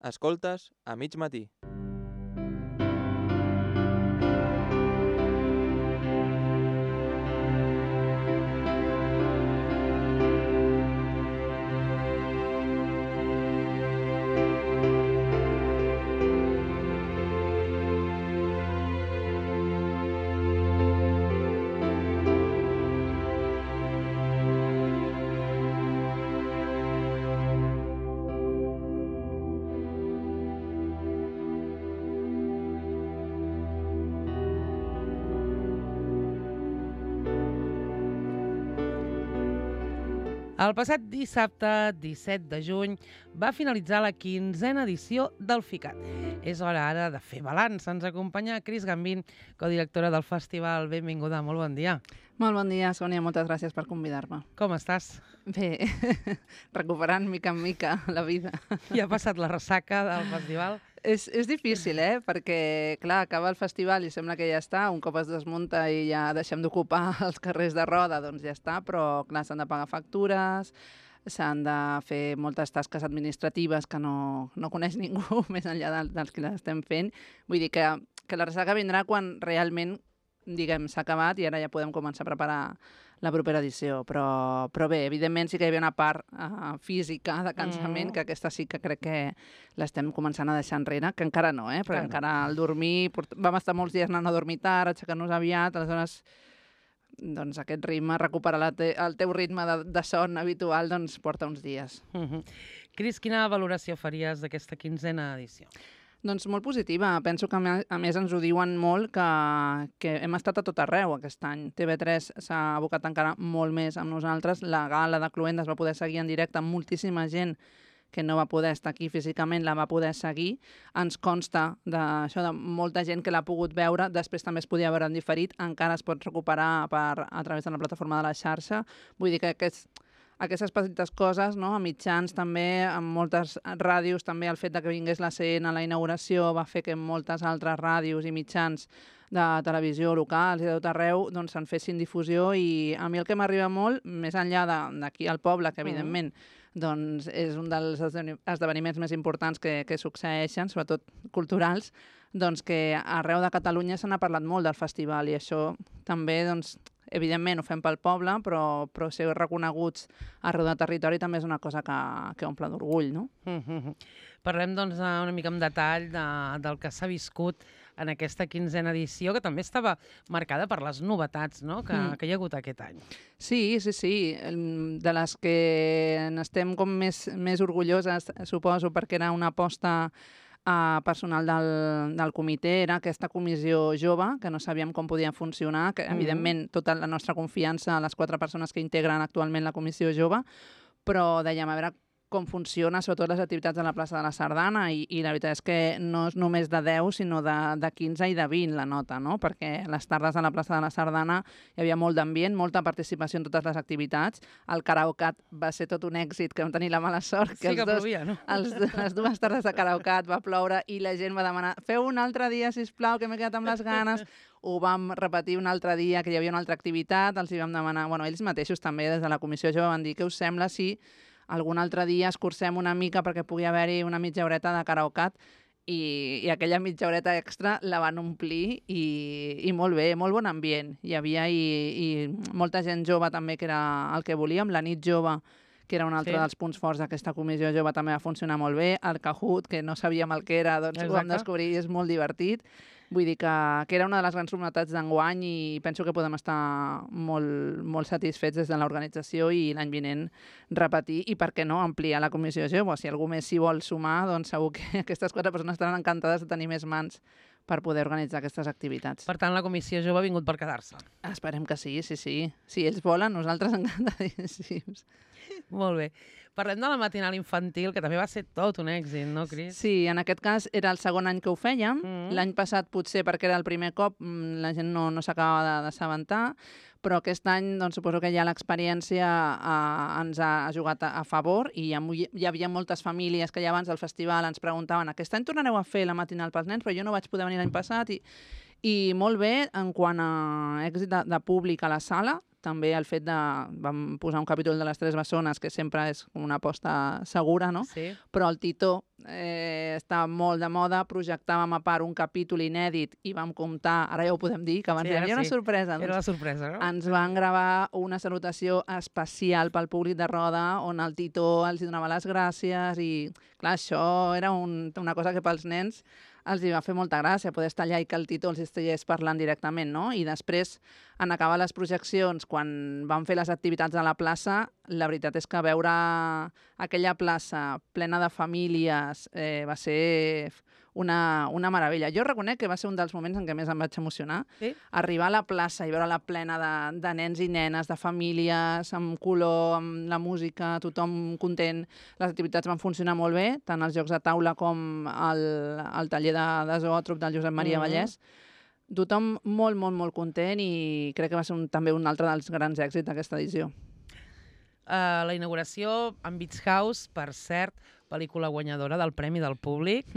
Escoltes a mig matí. El passat dissabte, 17 de juny, va finalitzar la 15a edició del FICAT. És hora ara de fer balanç. Ens acompanya Cris Gambín, codirectora del festival. Benvinguda, molt bon dia. Molt bon dia, Sònia. Moltes gràcies per convidar-me. Com estàs? Bé, recuperant mica en mica la vida. Ja ha passat la ressaca del festival? És difícil, perquè, clar, acaba el festival i sembla que ja està. Un cop es desmunta i ja deixem d'ocupar els carrers de roda, doncs ja està, però, clar, s'han de pagar factures, s'han de fer moltes tasques administratives que no coneix ningú, més enllà dels que les estem fent. Vull dir que la ressaca vindrà quan realment, diguem, s'ha acabat i ara ja podem començar a preparar la propera edició. Però bé, evidentment sí que hi havia una part física de cansament, que aquesta sí que crec que l'estem començant a deixar enrere, que encara no, perquè encara al dormir... Vam estar molts dies anant a dormir tard, aixecar-nos aviat, aleshores doncs aquest ritme, recuperar el teu ritme de son habitual, doncs porta uns dies. Cris, quina valoració faries d'aquesta 15a edició? Doncs molt positiva. Penso que, a més, ens ho diuen molt que hem estat a tot arreu aquest any. TV3 s'ha abocat encara molt més amb nosaltres. La gala de Cluendes va poder seguir en directe amb moltíssima gent que no va poder estar aquí físicament, la va poder seguir. Ens consta d'això de molta gent que l'ha pogut veure, després també es podia veure en diferit, encara es pot recuperar a través de la plataforma de la xarxa. Vull dir que aquestes petites coses, no? A mitjans també, amb moltes ràdios, també el fet de que vingués la CN a la inauguració va fer que moltes altres ràdios i mitjans de televisió locals i de tot arreu doncs se'n fessin difusió, i a mi el que m'arriba molt, més enllà d'aquí al poble, que evidentment doncs és un dels esdeveniments més importants que succeeixen, sobretot culturals, doncs que arreu de Catalunya se n'ha parlat molt del festival, i això també, doncs, evidentment ho fem pel poble, però ser reconeguts arreu del territori també és una cosa que omple d'orgull, no? Parlem, doncs, una mica en detall del que s'ha viscut en aquesta 15a edició, que també estava marcada per les novetats, no?, que hi ha hagut aquest any. Sí. De les que n'estem com més orgulloses, suposo, perquè era una aposta personal del comitè, era aquesta comissió jove, que no sabíem com podia funcionar, que evidentment tota la nostra confiança a les 4 persones que integren actualment la comissió jove, però dèiem, a veure com funciona, sobretot les activitats a la plaça de la Sardana, i la veritat és que no és només de 10, sinó de 15 i de 20 la nota, no? Perquè les tardes a la plaça de la Sardana hi havia molt d'ambient, molta participació en totes les activitats. El karaokat va ser tot un èxit, que vam tenir la mala sort que, plovia, no? les 2 tardes de karaokat va ploure i la gent va demanar: feu un altre dia, sisplau, que m'he quedat amb les ganes. Ho vam repetir un altre dia, que hi havia una altra activitat, els hi vam demanar, ells mateixos també des de la comissió jove van dir: què us sembla si algun altre dia escurcem una mica perquè pugui haver-hi una mitja horeta de karaokat? I aquella mitja horeta extra la van omplir, i molt bé, molt bon ambient. Hi havia i molta gent jove també, que era el que volíem. La nit jove, que era un altre dels punts forts d'aquesta comissió jove, també va funcionar molt bé. El Kahoot, que no sabíem el que era, doncs ho vam descobrir i és molt divertit. Vull dir que era una de les grans novetats d'enguany, i penso que podem estar molt satisfets des de l'organització, i l'any vinent repetir, i per què no ampliar la comissió jove. Si algú més s'hi vol sumar, doncs segur que aquestes 4 persones estaran encantades de tenir més mans per poder organitzar aquestes activitats. Per tant, la comissió jove ha vingut per quedar-se. Esperem que sí. Si ells volen, nosaltres encantadíssims. Molt bé. Parlem de la matinal infantil, que també va ser tot un èxit, no, Cris? Sí, en aquest cas era el segon any que ho fèiem. L'any passat, potser perquè era el primer cop, la gent no s'acabava d'assabentar, però aquest any doncs, suposo que ja l'experiència ens ha jugat a favor, i hi havia moltes famílies que ja abans del festival ens preguntaven: aquest any tornareu a fer la matinal pels nens, però jo no vaig poder venir l'any passat, i molt bé en quant a èxit de públic a la sala. També el fet de... Vam posar un capítol de les 3 bessones, que sempre és una aposta segura, no? Sí. Però el Titó estava molt de moda, projectàvem a part un capítol inèdit i vam comptar, ara ja ho podem dir, que abans Sí, hi ara havia una sí. sorpresa. Era la sorpresa, no? Ens van gravar una salutació especial pel públic de Roda, on el Titó els donava les gràcies i, clar, això era una cosa que pels nens els hi va fer molta gràcia, poder estar allà i que el Tito els estigués parlant directament, no? I després, en acabar les projeccions, quan vam fer les activitats a la plaça, la veritat és que veure aquella plaça plena de famílies va ser una meravella. Jo reconec que va ser un dels moments en què més em vaig emocionar. Sí? Arribar a la plaça i veure-la plena de nens i nenes, de famílies, amb color, amb la música, tothom content. Les activitats van funcionar molt bé, tant els jocs de taula com el taller de zoòtrop del Josep Maria Vallès. Tothom molt, molt, molt content i crec que va ser també un altre dels grans èxits d'aquesta edició. La inauguració amb Beach House, per cert, pel·lícula guanyadora del Premi del Públic.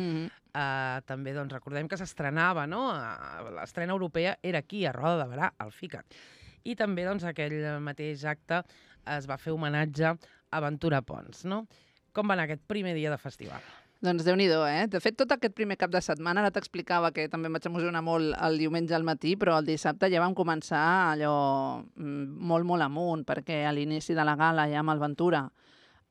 També doncs, recordem que s'estrenava, no? L'estrena europea era aquí, a Roda de Berà, al FICAT. I també doncs, aquell mateix acte es va fer homenatge a Ventura Pons, no? Com va anar aquest primer dia de festival? Doncs Déu-n'hi-do, eh? De fet, tot aquest primer cap de setmana, ara t'explicava que també em vaig emocionar molt el diumenge al matí, però el dissabte ja vam començar allò molt, molt amunt, perquè a l'inici de la gala ja amb el Ventura,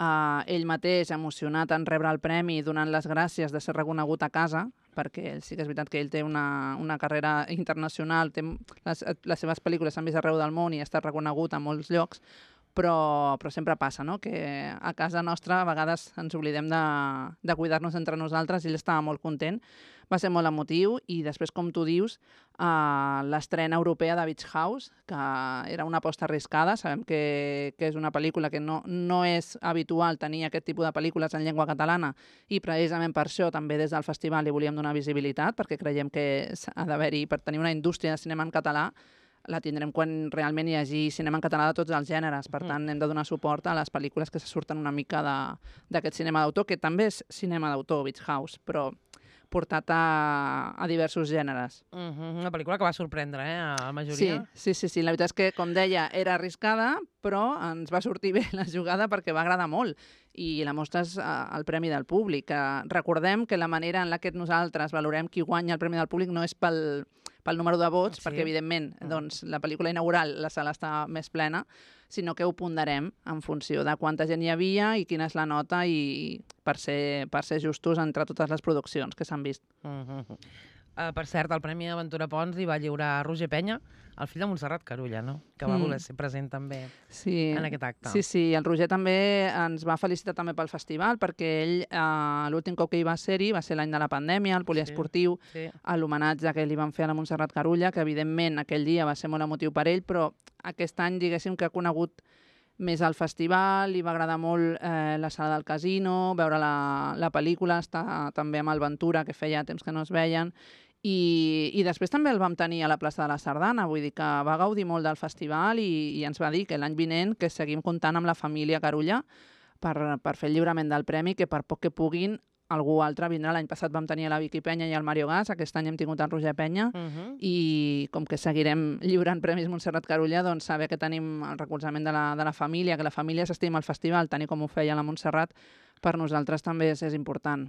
ell mateix emocionat en rebre el premi, donant les gràcies de ser reconegut a casa, perquè sí que és veritat que ell té una carrera internacional, les seves pel·lícules s'han vist arreu del món i ha estat reconegut a molts llocs, però sempre passa, no? Que a casa nostra a vegades ens oblidem de cuidar-nos entre nosaltres i ell estava molt content. Va ser molt emotiu i després, com tu dius, l'estrena europea de Beach House, que era una aposta arriscada. Sabem que és una pel·lícula que no és habitual tenir aquest tipus de pel·lícules en llengua catalana i precisament per això també des del festival li volíem donar visibilitat, perquè creiem que ha d'haver-hi, per tenir una indústria de cinema en català, la tindrem quan realment hi hagi cinema en català de tots els gèneres. Per tant, hem de donar suport a les pel·lícules que se surten una mica d'aquest cinema d'autor, que també és cinema d'autor, Beach House, però portat a diversos gèneres. Una pel·lícula que va sorprendre, a la majoria. Sí. La veritat és que, com deia, era arriscada, però ens va sortir bé la jugada perquè va agradar molt. I la mostra és el Premi del Públic. Recordem que la manera en la que nosaltres valorem qui guanya el Premi del Públic no és pel número de vots, perquè, evidentment, doncs, la pel·lícula inaugural, la sala està més plena, sinó que ho ponderem en funció de quanta gent hi havia i quina és la nota i per ser justos entre totes les produccions que s'han vist. Per cert, el Premi Aventura Pons hi va lliurar Roger Penya, el fill de Montserrat Carulla, no? Que va voler ser present també en aquest acte. Sí, el Roger també ens va felicitar també pel festival, perquè ell, l'últim cop que hi va ser-hi, va ser l'any de la pandèmia, el poliesportiu, a l'homenatge que li van fer a la Montserrat Carulla, que evidentment aquell dia va ser molt emotiu per ell, però aquest any, diguéssim, que ha conegut més al festival, li va agradar molt la sala del casino, veure la pel·lícula, estar també amb el Ventura, que feia temps que no es veien, i després també el vam tenir a la plaça de la Sardana, vull dir que va gaudir molt del festival i ens va dir que l'any vinent que seguim comptant amb la família Carulla per fer el lliurament del premi, que per poc que puguin algú altre vindrà. L'any passat vam tenir la Vicky Penya i el Mario Gas, aquest any hem tingut el Roger Penya, i com que seguirem lliurant premis Montserrat Carulla, doncs saber que tenim el recolzament de la família, que la família s'estima al festival, tant com ho feia la Montserrat, per nosaltres també és important.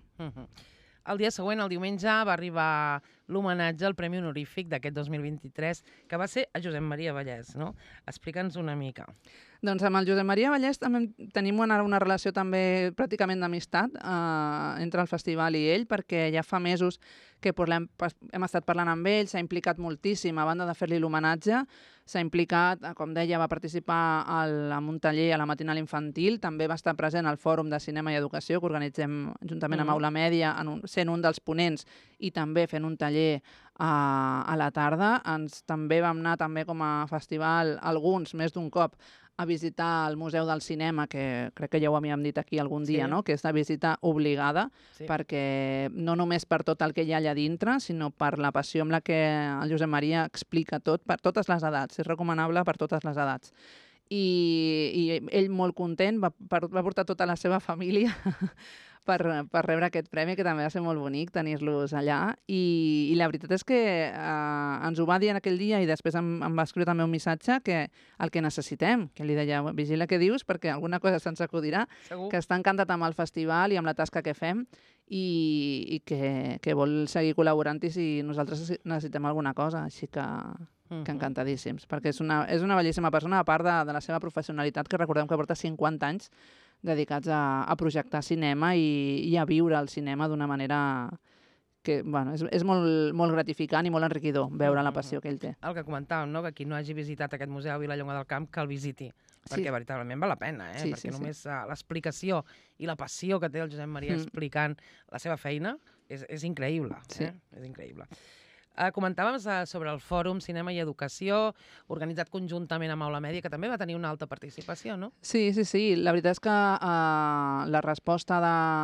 El dia següent, el diumenge, va arribar l'homenatge al Premi Honorífic d'aquest 2023, que va ser a Josep Maria Vallès, no? Explica'ns una mica. Doncs amb el Josep Maria Vallès també tenim una relació també pràcticament d'amistat entre el festival i ell, perquè ja fa mesos que hem estat parlant amb ell, s'ha implicat moltíssim, a banda de fer-li l'homenatge, s'ha implicat, com deia, va participar en un taller a la matinal infantil, també va estar present al Fòrum de Cinema i Educació, que organitzem juntament amb Aula Mèdia, sent un dels ponents i també fent un taller a la tarda. També vam anar també com a festival, alguns, més d'un cop, a visitar el Museu del Cinema, que crec que ja ho havíem dit aquí algun dia, no? Que és una visita obligada, perquè no només per tot el que hi ha allà dintre, sinó per la passió amb la que el Josep Maria explica tot, per totes les edats. És recomanable per totes les edats. I ell molt content, va portar tota la seva família per rebre aquest premi, que també va ser molt bonic tenir-los allà. I la veritat és que ens ho va dir en aquell dia i després em va escriure també un missatge que el que necessitem, que li deia, vigila què dius perquè alguna cosa se'ns acudirà, Segur. que està encantat amb el festival i amb la tasca que fem i que vol seguir col·laborant-hi si nosaltres necessitem alguna cosa. Així que encantadíssims, perquè és una bellíssima persona, a part de la seva professionalitat, que recordem que porta 50 anys dedicats a projectar cinema i a viure el cinema d'una manera que bueno, és molt, molt gratificant i molt enriquidor veure la passió que ell té. El que comentàvem, no? Que qui no hagi visitat aquest museu a Vilallonga del Camp, que el visiti, perquè veritablement val la pena, perquè només l'explicació i la passió que té el Josep Maria explicant la seva feina és increïble. És increïble. Comentàvem sobre el Fòrum Cinema i Educació, organitzat conjuntament amb Aula Mèdia, que també va tenir una alta participació, no? Sí. La veritat és que la resposta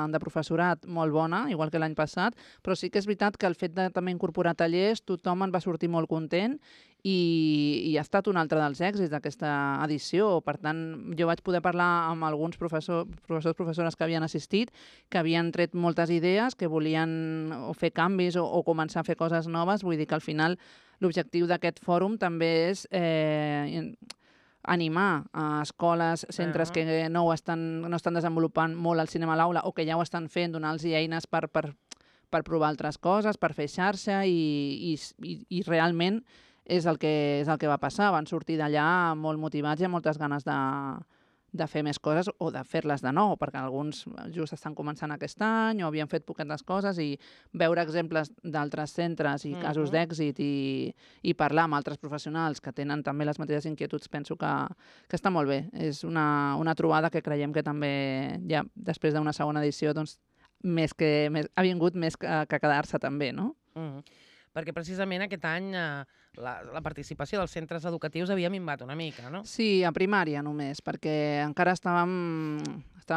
de professorat molt bona, igual que l'any passat, però sí que és veritat que el fet de també incorporar tallers, tothom en va sortir molt content i ha estat un altre dels èxits d'aquesta edició. Per tant, jo vaig poder parlar amb alguns professores que havien assistit, que havien tret moltes idees, que volien fer canvis o començar a fer coses noves. Vull dir que al final l'objectiu d'aquest fòrum també és animar a escoles, centres que no estan desenvolupant molt el cinema a l'aula o que ja ho estan fent, donar-los eines per provar altres coses, per fer xarxa i realment és el que va passar. Van sortir d'allà molt motivats i amb moltes ganes de fer més coses o de fer-les de nou, perquè alguns just estan començant aquest any o havien fet poquetes coses, i veure exemples d'altres centres i casos d'èxit i parlar amb altres professionals que tenen també les mateixes inquietuds, penso que està molt bé. És una trobada que creiem que també, ja després d'una segona edició, doncs, ha vingut més que quedar-se també, no? Perquè precisament aquest any la participació dels centres educatius havia minvat una mica, no? Sí, a primària només, perquè encara estava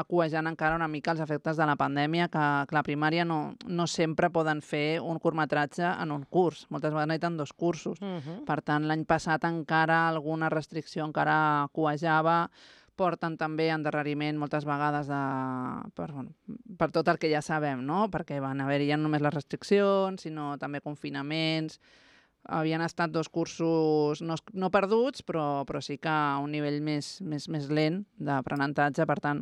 cuejant encara una mica els efectes de la pandèmia, que la primària no sempre poden fer un curtmetratge en un curs. Moltes vegades necessiten 2 cursos. Per tant, l'any passat encara alguna restricció encara cuejava. Porten també endarreriment moltes vegades per tot el que ja sabem, no? Perquè van haver-hi ja no només les restriccions, sinó també confinaments. Havien estat 2 cursos no perduts, però sí que a un nivell més lent d'aprenentatge. Per tant,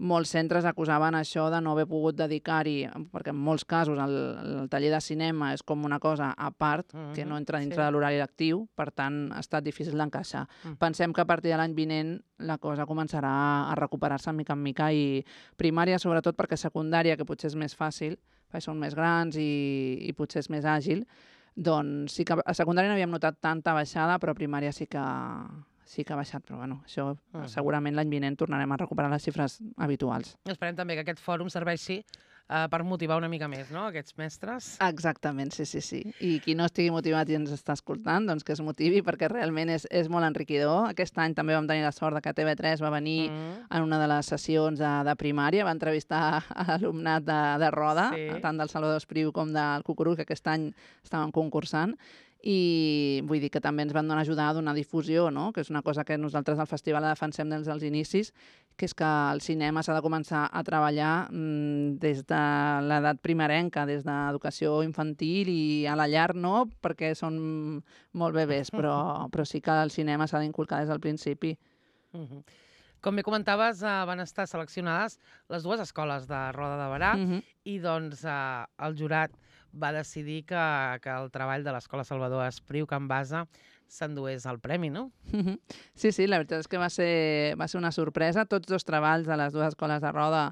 molts centres acusaven això de no haver pogut dedicar-hi, perquè en molts casos el taller de cinema és com una cosa a part, que no entra dintre de l'horari lectiu, per tant ha estat difícil d'encaixar. Pensem que a partir de l'any vinent la cosa començarà a recuperar-se mica en mica, i primària sobretot, perquè secundària, que potser és més fàcil, perquè són més grans i potser és més àgil, doncs sí que a secundària no havíem notat tanta baixada, però a primària sí que ha baixat, però bueno, això segurament l'any vinent tornarem a recuperar les xifres habituals. Esperem també que aquest fòrum serveixi per motivar una mica més, no?, aquests mestres. Exactament, sí. I qui no estigui motivat i ens està escoltant, doncs que es motivi, perquè realment és molt enriquidor. Aquest any també vam tenir la sort que TV3 va venir en una de les sessions de primària, va entrevistar alumnat de Roda, tant del Salvador Espriu com del Cucurull, que aquest any estaven concursant, i vull dir que també ens van ajudar a donar difusió, no? Que és una cosa que nosaltres al festival defensem des dels inicis, que és que el cinema s'ha de començar a treballar des de l'edat primerenca, des d'educació infantil i a la llar no, perquè són molt bebès, però sí que el cinema s'ha d'inculcar des del principi. Com bé comentaves, van estar seleccionades les 2 escoles de Roda de Berà i doncs el jurat va decidir que el treball de l'Escola Salvador Espriu, Can Basa, s'endués el premi, no? Sí, la veritat és que va ser una sorpresa. Tots 2 treballs de les 2 escoles de Roda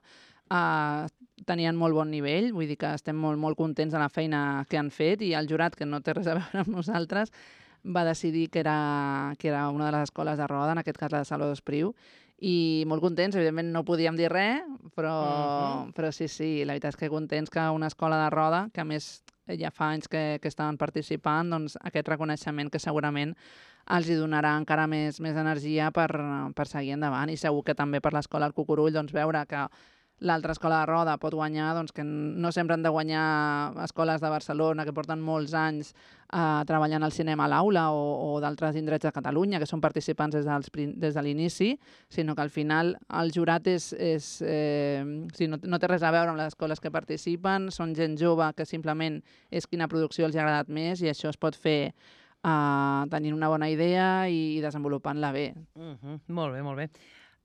tenien molt bon nivell, vull dir que estem molt contents de la feina que han fet, i el jurat, que no té res a veure amb nosaltres, va decidir que era una de les escoles de Roda, en aquest cas la de Salvador Espriu, i molt contents. Evidentment no podíem dir res, però sí, la veritat és que contents que una escola de Roda, que a més ja fa anys que estaven participant, doncs aquest reconeixement que segurament els hi donarà encara més energia per seguir endavant, i segur que també per l'escola del Cucurull, doncs veure que l'altra escola de roda pot guanyar, doncs que no sempre han de guanyar escoles de Barcelona que porten molts anys treballant al cinema a l'aula o d'altres indrets de Catalunya que són participants des de l'inici, sinó que al final el jurat no té res a veure amb les escoles que participen, són gent jove que simplement és quina producció els ha agradat més i això es pot fer tenint una bona idea i desenvolupant-la bé. Molt bé, molt bé.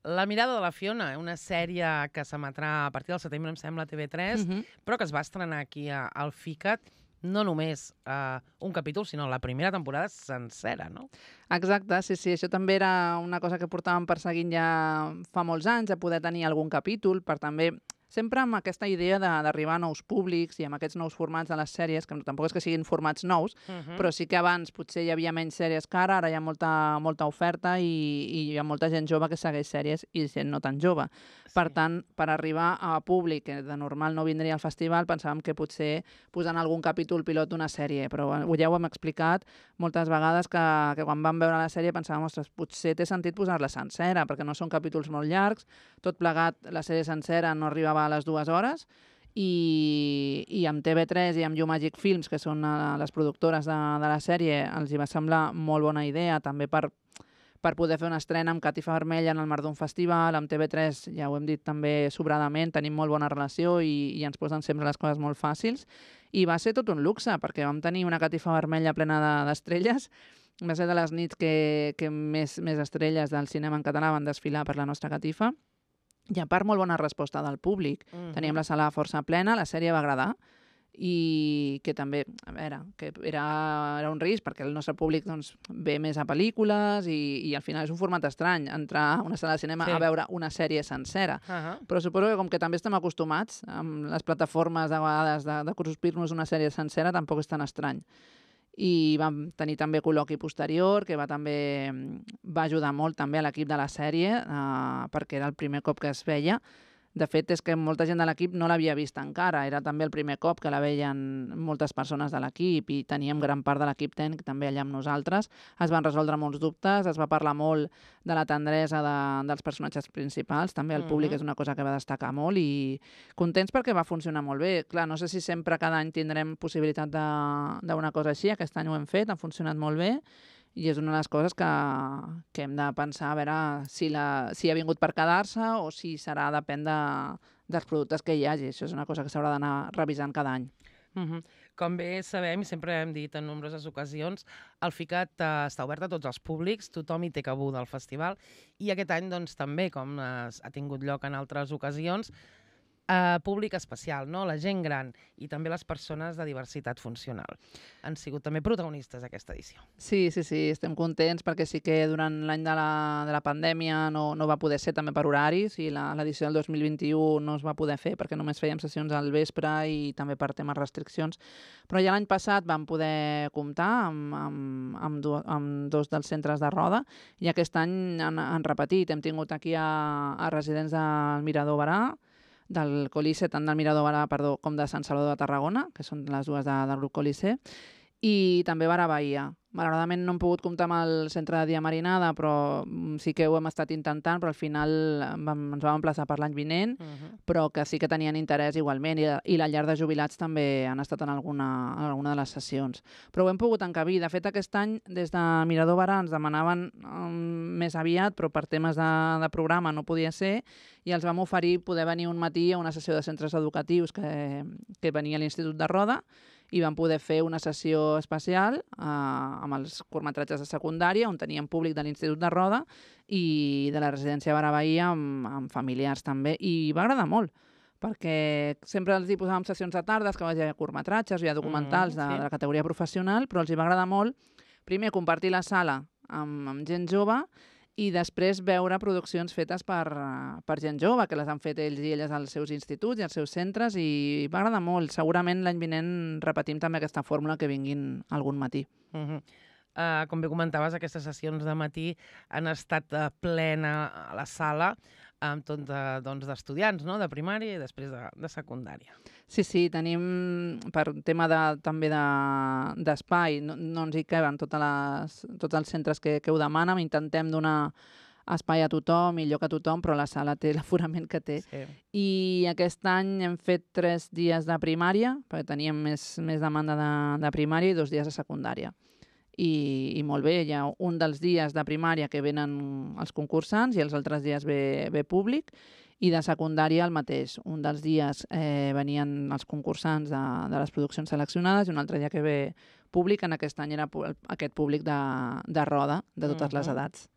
La mirada de la Fiona, una sèrie que s'emetrà a partir del setembre, em sembla, a TV3, però que es va estrenar aquí al FICAT, no només un capítol, sinó la primera temporada sencera, no? Exacte, sí. Això també era una cosa que portàvem perseguint ja fa molts anys, de poder tenir algun capítol, per també sempre amb aquesta idea d'arribar a nous públics i amb aquests nous formats de les sèries, que tampoc és que siguin formats nous, però sí que abans potser hi havia menys sèries que ara hi ha molta oferta i hi ha molta gent jove que segueix sèries i gent no tan jove. Per tant, per arribar a públic que de normal no vindria al festival, pensàvem que potser posant algun capítol pilot d'una sèrie, però ja ho hem explicat moltes vegades que quan vam veure la sèrie pensàvem, ostres, potser té sentit posar-la sencera, perquè no són capítols molt llargs, tot plegat, la sèrie sencera no arribava a les 2 hores i amb TV3 i amb YouMagic Films, que són les productores de la sèrie, els hi va semblar molt bona idea també per poder fer una estrena amb Catifa Vermella en el marc d'un festival, amb TV3, ja ho hem dit també sobradament, tenim molt bona relació i ens posen sempre les coses molt fàcils i va ser tot un luxe perquè vam tenir una Catifa Vermella plena d'estrelles. Va ser de les nits que més estrelles del cinema en català van desfilar per la nostra catifa. I a part, molt bona resposta del públic. Teníem la sala força plena, la sèrie va agradar i que també, a veure, que era un risc perquè el nostre públic doncs, ve més a pel·lícules i al final és un format estrany entrar a una sala de cinema a veure una sèrie sencera. Però suposo que com que també estem acostumats amb les plataformes de vegades de cruspir-nos una sèrie sencera tampoc és tan estrany. I vam tenir també col·loqui posterior, que va ajudar molt també a l'equip de la sèrie, perquè era el primer cop que es veia. De fet, és que molta gent de l'equip no l'havia vist encara. Era també el primer cop que la veien moltes persones de l'equip i teníem gran part de l'equip tècnic també allà amb nosaltres. Es van resoldre molts dubtes, es va parlar molt de la tendresa dels personatges principals. També el públic és una cosa que va destacar molt i contents perquè va funcionar molt bé. Clar, no sé si sempre cada any tindrem possibilitat d'una cosa així. Aquest any ho hem fet, ha funcionat molt bé. I és una de les coses que hem de pensar a veure si ha vingut per quedar-se o si depèn dels productes que hi hagi. Això és una cosa que s'haurà d'anar revisant cada any. Com bé sabem, i sempre hem dit en nombroses ocasions, el FICAT està obert a tots els públics, tothom hi té cabuda al festival, i aquest any doncs, també, com ha tingut lloc en altres ocasions, públic especial, no? La gent gran i també les persones de diversitat funcional. Han sigut també protagonistes d'aquesta edició. Sí, estem contents perquè sí que durant l'any de la pandèmia no va poder ser també per horaris i l'edició del 2021 no es va poder fer perquè només fèiem sessions al vespre i també per temes restriccions. Però ja l'any passat vam poder comptar amb 2 dels centres de roda i aquest any han repetit. Hem tingut aquí a residents del Mirador Barà, del Colice, tant del Mirador Barà, com de Sant Salvador de Tarragona, que són les dues del grup Colice, i també Barà Bahia. Malauradament no hem pogut comptar amb el centre de dia marinada, però sí que ho hem estat intentant, però al final ens vam emplaçar per l'any vinent, però que sí que tenien interès igualment, i la llar de jubilats també han estat en alguna de les sessions. Però ho hem pogut encabir. De fet, aquest any, des de Mirador Barà, ens demanaven més aviat, però per temes de programa no podia ser, i els vam oferir poder venir un matí a una sessió de centres educatius que venia a l'Institut de Roda, i vam poder fer una sessió especial amb els curtmetratges de secundària on teníem públic de l'Institut de Roda i de la residència Barà Bahia amb familiars també, i va agradar molt perquè sempre els hi posàvem sessions de tardes que hi ha curtmetratges, hi ha documentals de la categoria professional, però els hi va agradar molt primer compartir la sala amb gent jove i després veure produccions fetes per gent jove, que les han fet ells i elles als seus instituts i als seus centres, i va agradar molt. Segurament l'any vinent repetim també aquesta fórmula que vinguin algun matí. Com bé comentaves, aquestes sessions de matí han estat plena a la sala amb tot d'estudiants, no? De primària i després de secundària. Sí, tenim, per tema també d'espai, no ens hi caben tots els centres que ho demanen, intentem donar espai a tothom, millor que tothom, però la sala té l'aforament que té. Sí. I aquest any hem fet 3 dies de primària, perquè teníem més demanda de primària i 2 dies de secundària. I molt bé, hi ha un dels dies de primària que venen els concursants i els altres dies ve públic, i de secundària el mateix. Un dels dies venien els concursants de les produccions seleccionades i un altre dia que ve públic. En aquest any era aquest públic de roda, de totes les edats.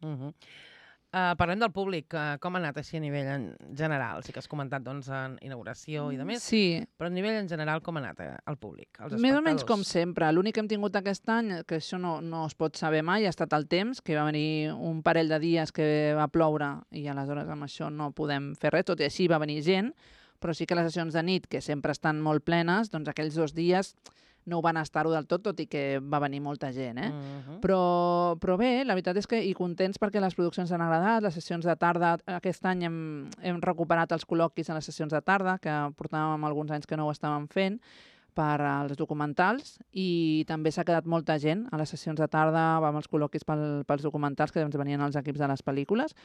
Parlem del públic. Com ha anat així a nivell en general? Sí que has comentat en inauguració i de més, Sí, però a nivell en general com ha anat el públic, els més o menys espectadors? com sempre. L'únic que hem tingut aquest any, que això no es pot saber mai, ha estat el temps, que va venir un parell de dies que va ploure i aleshores amb això no podem fer res, tot i així va venir gent, però sí que les sessions de nit, que sempre estan molt plenes, doncs aquells 2 dies no ho van estar-ho del tot i que va venir molta gent, Però bé, la veritat és que i contents perquè les produccions han agradat, les sessions de tarda, aquest any hem recuperat els col·loquis a les sessions de tarda, que portàvem alguns anys que no ho estàvem fent, per als documentals, i també s'ha quedat molta gent a les sessions de tarda, amb els col·loquis pels documentals, que doncs venien els equips de les pel·lícules,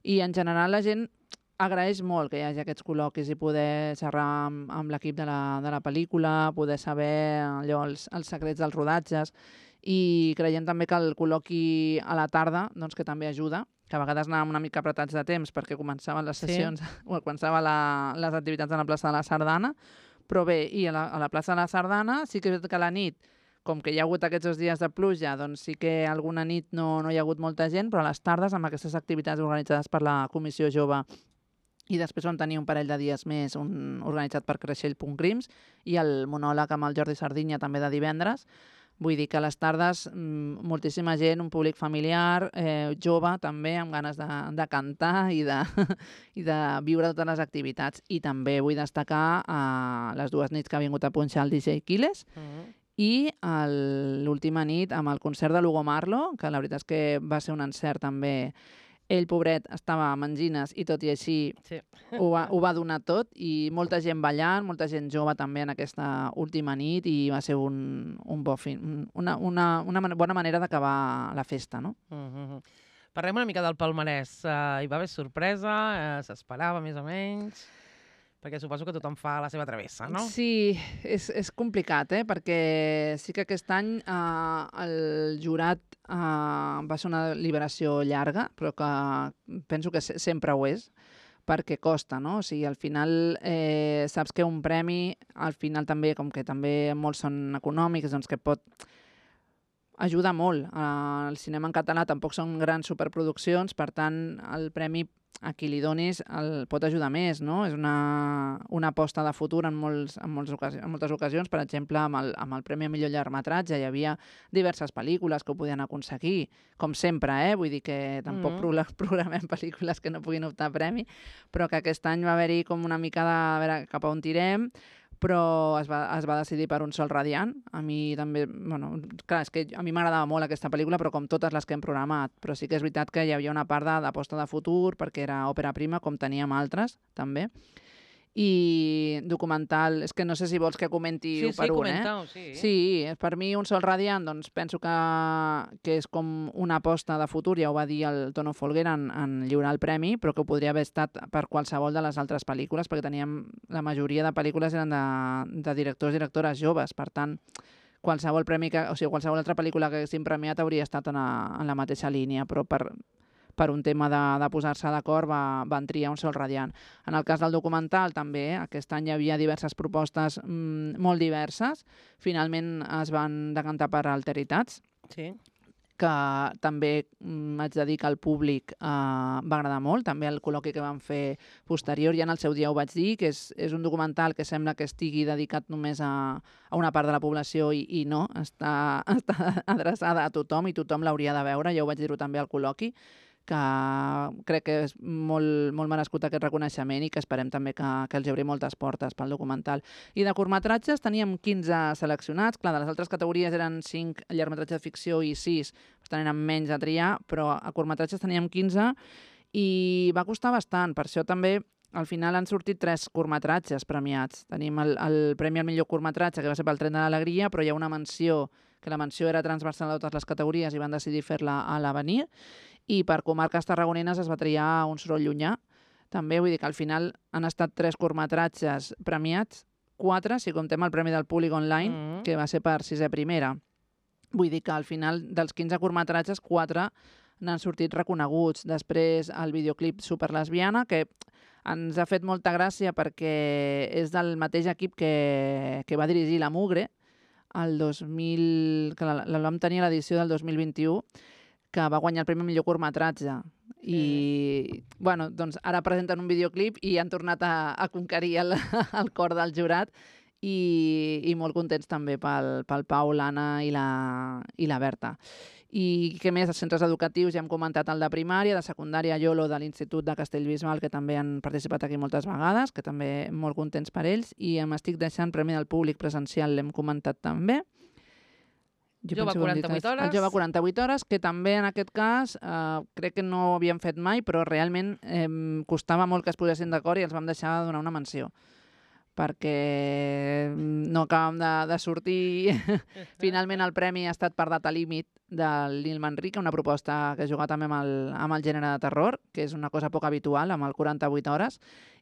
i en general la gent agraeix molt que hi hagi aquests col·loquis i poder xerrar amb l'equip de la pel·lícula, poder saber allò, els secrets dels rodatges, i creiem també que el col·loqui a la tarda, doncs, que també ajuda, que a vegades anàvem una mica apretats de temps perquè començaven les sessions, o començaven les activitats a la plaça de la Sardana, però bé, i a la plaça de la Sardana sí que és veritat que a la nit, com que hi ha hagut aquests 2 dies de pluja, doncs sí que alguna nit no hi ha hagut molta gent, però a les tardes, amb aquestes activitats organitzades per la Comissió Jove, i després vam tenir un parell de dies més, un organitzat per Creixell.Crims i el monòleg amb el Jordi Sardinya també de divendres. Vull dir que a les tardes moltíssima gent, un públic familiar, jove també, amb ganes de cantar i de viure totes les activitats. I també vull destacar les 2 nits que ha vingut a punxar el DJ Quiles i l'última nit amb el concert de l'Hugo Marlo, que la veritat és que va ser un encert també. Ell, pobret, estava amb angines i tot i així ho va donar tot, i molta gent ballant, molta gent jove també en aquesta última nit, i va ser una bona manera d'acabar la festa, no? Parlem una mica del palmarès. Hi va haver sorpresa? S'esperava més o menys? Perquè suposo que tothom fa la seva travessa, no? Sí, és complicat, perquè sí que aquest any el jurat va ser una liberació llarga, però que penso que sempre ho és, perquè costa, no? O sigui, al final saps que un premi, al final també, com que també molts són econòmics, doncs que pot ajudar molt. El cinema en català tampoc són grans superproduccions, per tant, el premi a qui li donis pot ajudar més, no? És una aposta de futur en moltes ocasions. Per exemple, amb el Premi a Millor Llargmetratge hi havia diverses pel·lícules que ho podien aconseguir, com sempre, vull dir que tampoc programem pel·lícules que no puguin optar a premi, però que aquest any va haver-hi com una mica de a veure cap a on tirem, però es va decidir per Un sol radiant. A mi també, clar, és que a mi m'agradava molt aquesta pel·lícula, però com totes les que hem programat. Però sí que és veritat que hi havia una part d'aposta de futur, perquè era òpera prima, com teníem altres, també. I documental, és que no sé si vols que comenti per un, comentau, Sí, per mi Un sol radiant, doncs penso que és com una aposta de futur, ja ho va dir el Tono Folguera en lliurar el premi, però que podria haver estat per qualsevol de les altres pel·lícules, perquè la majoria de pel·lícules eren de directors i directores joves, per tant, qualsevol altra pel·lícula que haguéssim premiat hauria estat en la mateixa línia, però per un tema de posar-se d'acord van triar Un sol radiant. En el cas del documental també, aquest any hi havia diverses propostes molt diverses. Finalment es van decantar per Alteritats, que també haig de dir que al públic va agradar molt, també el col·loqui que van fer posterior, ja en el seu dia ho vaig dir, que és un documental que sembla que estigui dedicat només a una part de la població i no, està adreçada a tothom i tothom l'hauria de veure, ja ho vaig dir-ho també al col·loqui, que crec que és molt merescut aquest reconeixement i que esperem també que els obri moltes portes pel documental. I de curtmetratges teníem 15 seleccionats, clar, de les altres categories eren 5 llargmetratges de ficció i 6 eren menys a triar, però a curtmetratges teníem 15 i va costar bastant, per això també al final han sortit 3 curtmetratges premiats. Tenim el Premi al millor curtmetratge, que va ser pel Tren de l'Alegria, però hi ha una menció, que la menció era transversal a totes les categories i van decidir fer-la a l'Avenir, i per comarques tarragonines es va triar Un soroll llunyà. També vull dir que al final han estat 3 curtmetratges premiats, 4 si comptem el Premi del Públic Online, que va ser per sisè primera. Vull dir que al final dels 15 curtmetratges, 4 n'han sortit reconeguts. Després el videoclip Superlesbiana, que ens ha fet molta gràcia perquè és del mateix equip que va dirigir La Mugre, el 2000, que la vam tenir a l'edició del 2021, que va guanyar el premi millor curtmetratge. I bueno, doncs ara presenten un videoclip i han tornat a conquerir el cor del jurat i molt contents també pel Pau, l'Anna i la Berta. I què més? Els centres educatius, ja hem comentat el de primària, de secundària Iolo de l'Institut de Castellbisbal, que també han participat aquí moltes vegades, que també molt contents per ells, i m'estic deixant Premi del Públic presencial, l'hem comentat també. Jove 48 hores. El Jove 48 hores, que també en aquest cas crec que no ho havíem fet mai, però realment costava molt que es posessin d'acord i els vam deixar de donar una menció perquè no acabàvem de sortir. Finalment el premi ha estat per data límit del Nil Manrique, una proposta que juga també amb el gènere de terror, que és una cosa poc habitual, amb el 48 hores,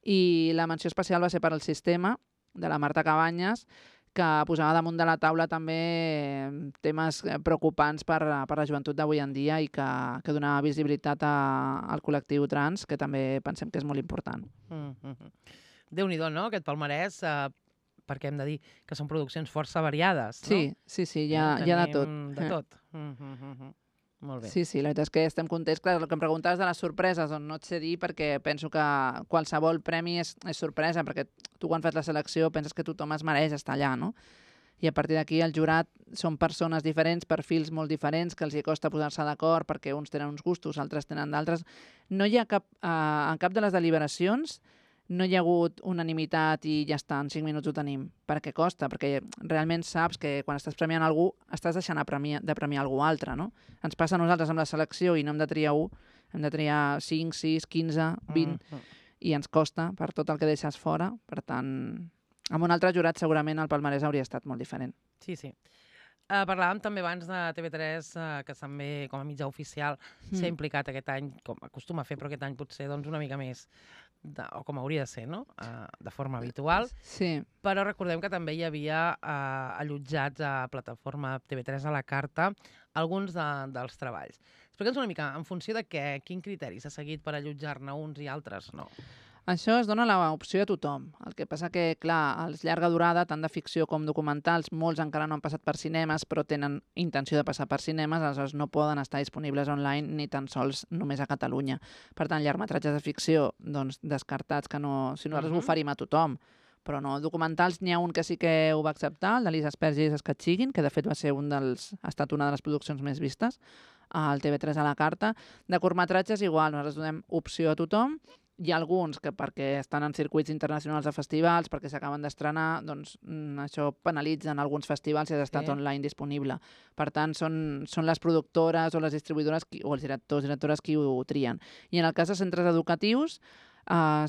i la menció especial va ser per al Sistema, de la Marta Cabanyes, que posava damunt de la taula també temes preocupants per la joventut d'avui en dia i que donava visibilitat al col·lectiu trans, que també pensem que és molt important. Déu-n'hi-do, no?, aquest palmarès, perquè hem de dir que són produccions força variades, no? Sí, hi ha de tot. De tot. Molt bé. Sí, la veritat és que estem contents. Clar, el que em preguntaves de les sorpreses, doncs no et sé dir, perquè penso que qualsevol premi és sorpresa, perquè tu quan fas la selecció penses que tothom es mereix estar allà, no? I a partir d'aquí el jurat són persones diferents, perfils molt diferents, que els hi costa posar-se d'acord perquè uns tenen uns gustos, altres tenen d'altres. No hi ha en cap de les deliberacions no hi ha hagut unanimitat i ja està, en 5 minuts ho tenim. Perquè costa, perquè realment saps que quan estàs premiant algú estàs deixant de premiar algú altre, no? Ens passa a nosaltres amb la selecció i no hem de triar 1, hem de triar 5, 6, 15, 20, i ens costa per tot el que deixes fora. Per tant, amb un altre jurat segurament el palmarès hauria estat molt diferent. Sí. Parlàvem també abans de TV3, que també com a mitjà oficial s'ha implicat aquest any, com acostuma a fer, però aquest any potser doncs, una mica més, o com hauria de ser, no? De forma habitual. Sí. Però recordem que també hi havia allotjats a plataforma TV3 a la carta alguns dels treballs. Explica'ns una mica, en funció de quin criteri s'ha seguit per allotjar-ne uns i altres no? Això es dona l'opció a tothom. El que passa que, clar, els llarga durada, tant de ficció com documentals, molts encara no han passat per cinemes, però tenen intenció de passar per cinemes, aleshores no poden estar disponibles online ni tan sols només a Catalunya. Per tant, llargmetratges de ficció, doncs, descartats, que no... Si nosaltres ho oferim a tothom, però no. Documentals, n'hi ha un que sí que ho va acceptar, el de Lisa Asperger i Escatxiguin, que de fet ha estat una de les produccions més vistes al TV3 a la carta. De curtmetratges, igual, nosaltres donem opció a tothom. Hi ha alguns que perquè estan en circuits internacionals de festivals, perquè s'acaben d'estrenar, doncs això penalitza en alguns festivals si has estat online disponible. Per tant, són les productores o les distribuïdores o els directores qui ho trien. I en el cas de centres educatius,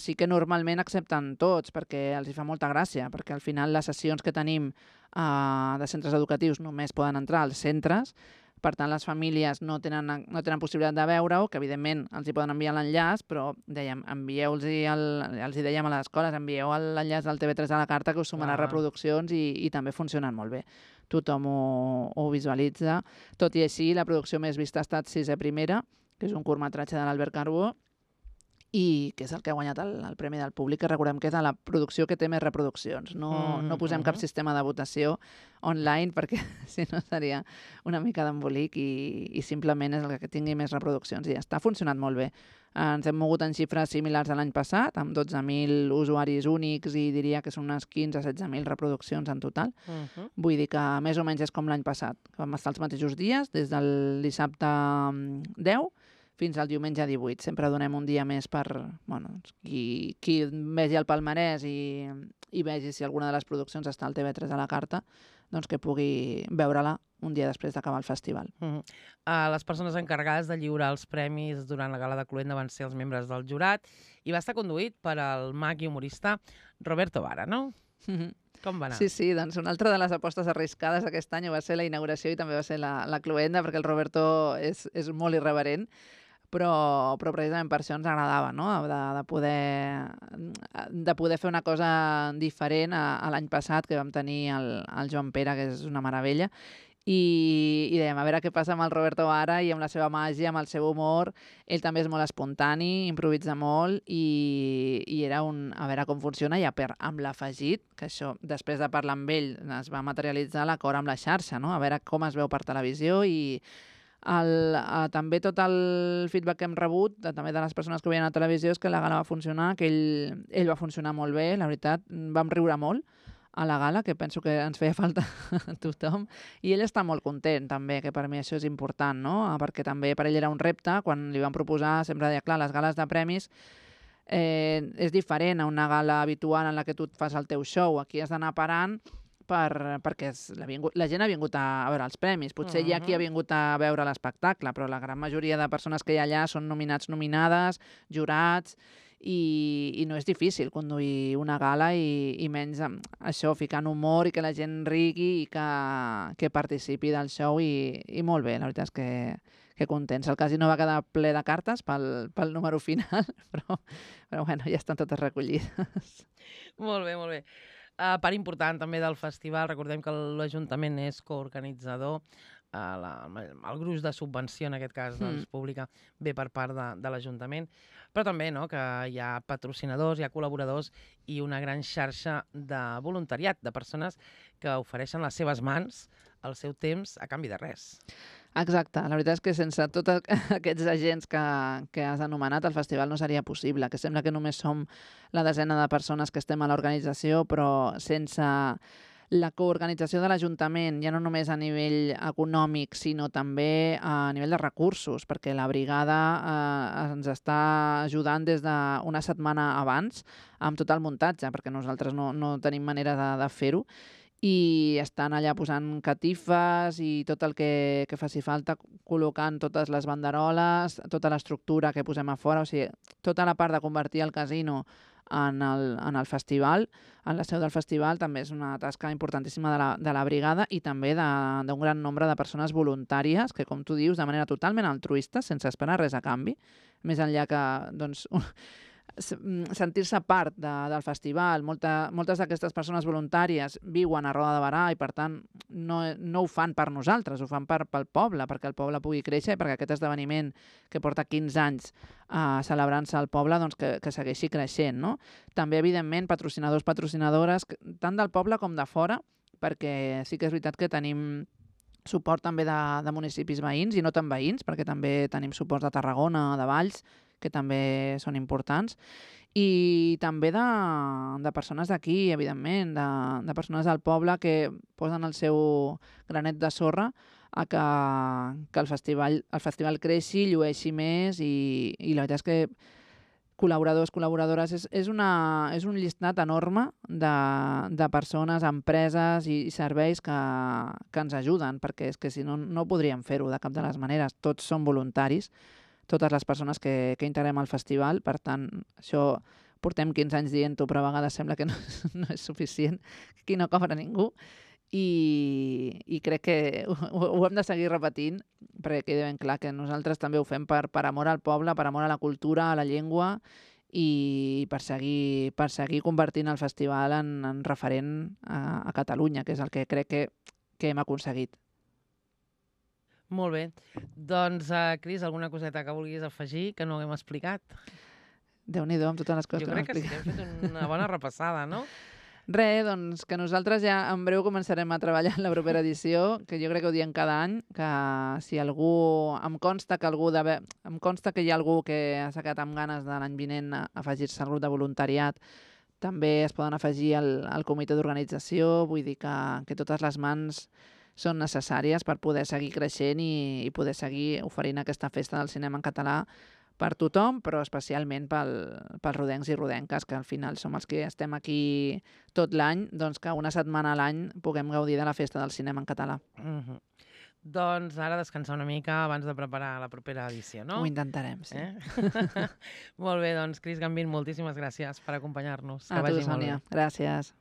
sí que normalment accepten tots, perquè els hi fa molta gràcia, perquè al final les sessions que tenim de centres educatius només poden entrar als centres. Per tant, les famílies no tenen possibilitat de veure-ho, que evidentment els hi poden enviar l'enllaç, però dèiem, els hi dèiem a les escoles, envieu l'enllaç del TV3 a la carta, que us sumarà reproduccions i també funcionen molt bé. Tothom ho visualitza. Tot i així, la producció més vista ha estat Sisè Primera, que és un curtmetratge de l'Albert Carbó, i que és el que ha guanyat el Premi del Públic, que recordem que és la producció que té més reproduccions. No posem cap sistema de votació online, perquè si no seria una mica d'embolic i simplement és el que tingui més reproduccions. I ja està, ha funcionat molt bé. Ens hem mogut en xifres similars a l'any passat, amb 12.000 usuaris únics i diria que són unes 15-16.000 reproduccions en total. Vull dir que més o menys és com l'any passat. Vam estar els mateixos dies, des del dissabte 10 fins al diumenge 18. Sempre donem un dia més per qui vegi el palmarès i vegi si alguna de les produccions està al TV3 a la carta, doncs que pugui veure-la un dia després d'acabar el festival. Les persones encarregades de lliurar els premis durant la gala de Cluenda van ser els membres del jurat i va estar conduït per el mag i humorista Roberto Vara, no? Com va anar? Sí, doncs una altra de les apostes arriscades aquest any va ser la inauguració i també va ser la Cluenda, perquè el Roberto és molt irreverent. però precisament per això ens agradava, no? De poder fer una cosa diferent a l'any passat, que vam tenir el Joan Pere, que és una meravella, i dèiem, a veure què passa amb el Roberto ara i amb la seva màgia, amb el seu humor. Ell també és molt espontani, improvisa molt i era a veure com funciona i amb l'afegit, que això, després de parlar amb ell, es va materialitzar l'acord amb la xarxa, no? A veure com es veu per televisió i també tot el feedback que hem rebut, també de les persones que ho veien a la televisió, és que la gala va funcionar, que ell va funcionar molt bé, la veritat, vam riure molt a la gala, que penso que ens feia falta a tothom, i ell està molt content també, que per mi això és important, no? Perquè també per ell era un repte, quan li van proposar, sempre deia, clar, les gales de premis és diferent a una gala habitual en la que tu et fas el teu show, aquí has d'anar parant perquè la gent ha vingut a veure els premis. Potser hi ha qui ha vingut a veure l'espectacle, però la gran majoria de persones que hi ha allà són nominats, nominades, jurats, i no és difícil conduir una gala i menys això, ficant humor i que la gent rigui i que participi del show i molt bé, la veritat és que contents. El casino va quedar ple de cartes pel número final, però bueno, ja estan totes recollides. Molt bé, molt bé. Part important també del festival, recordem que l'Ajuntament és coorganitzador, el gruix de subvenció, en aquest cas, pública, ve per part de l'Ajuntament, però també que hi ha patrocinadors, hi ha col·laboradors i una gran xarxa de voluntariat, de persones que ofereixen les seves mans, el seu temps, a canvi de res. Exacte, la veritat és que sense tots aquests agents que has anomenat, el festival no seria possible, que sembla que només som la desena de persones que estem a l'organització, però sense la coorganització de l'Ajuntament, ja no només a nivell econòmic, sinó també a nivell de recursos, perquè la brigada ens està ajudant des d'una setmana abans amb tot el muntatge, perquè nosaltres no tenim manera de fer-ho, i estan allà posant catifes i tot el que faci falta, col·locant totes les banderoles, tota l'estructura que posem a fora, o sigui, tota la part de convertir el casino en el festival, en la seu del festival, també és una tasca importantíssima de la brigada i també d'un gran nombre de persones voluntàries que, com tu dius, de manera totalment altruista, sense esperar res a canvi, més enllà que, doncs, sentir-se part del festival. Moltes d'aquestes persones voluntàries viuen a Roda de Berà i, per tant, no ho fan per nosaltres, ho fan pel poble, perquè el poble pugui créixer i perquè aquest esdeveniment que porta 15 anys celebrant-se al poble, doncs que segueixi creixent, no? També, evidentment, patrocinadors, patrocinadores, tant del poble com de fora, perquè sí que és veritat que tenim suport també de municipis veïns i no tan veïns, perquè també tenim suports de Tarragona, de Valls, que també són importants, i també de persones d'aquí, evidentment, de persones del poble que posen el seu granet de sorra a que el festival creixi, llueixi més, i la veritat és que col·laboradors, col·laboradores, és un llistat enorme de persones, empreses i serveis que ens ajuden, perquè és que si no, no podríem fer-ho de cap de les maneres. Tots són voluntaris, totes les persones que integrem al festival, per tant, això portem 15 anys dient-ho, però a vegades sembla que no és suficient, que aquí no cobra ningú, i crec que ho hem de seguir repetint, perquè quedi ben clar que nosaltres també ho fem per amor al poble, per amor a la cultura, a la llengua, i per seguir convertint el festival en referent a Catalunya, que és el que crec que hem aconseguit. Molt bé. Doncs, Cris, alguna coseta que vulguis afegir que no haguem explicat? Déu-n'hi-do amb totes les coses que hem explicat. Jo crec que sí que hem fet una bona repassada, no? Doncs que nosaltres ja en breu començarem a treballar en la propera edició, que jo crec que ho diem cada any, que si algú... Em consta que hi ha algú que s'ha quedat amb ganes de l'any vinent a afegir-se al grup de voluntariat, també es poden afegir al comitè d'organització, vull dir que totes les mans són necessàries per poder seguir creixent i poder seguir oferint aquesta festa del cinema en català per tothom, però especialment pels rodencs i rodenques, que al final som els que estem aquí tot l'any, doncs que una setmana a l'any puguem gaudir de la festa del cinema en català. Doncs ara descansar una mica abans de preparar la propera edició, no? Ho intentarem, sí. Molt bé, doncs, Cris Gambín, moltíssimes gràcies per acompanyar-nos. A tu, Sònia. Gràcies.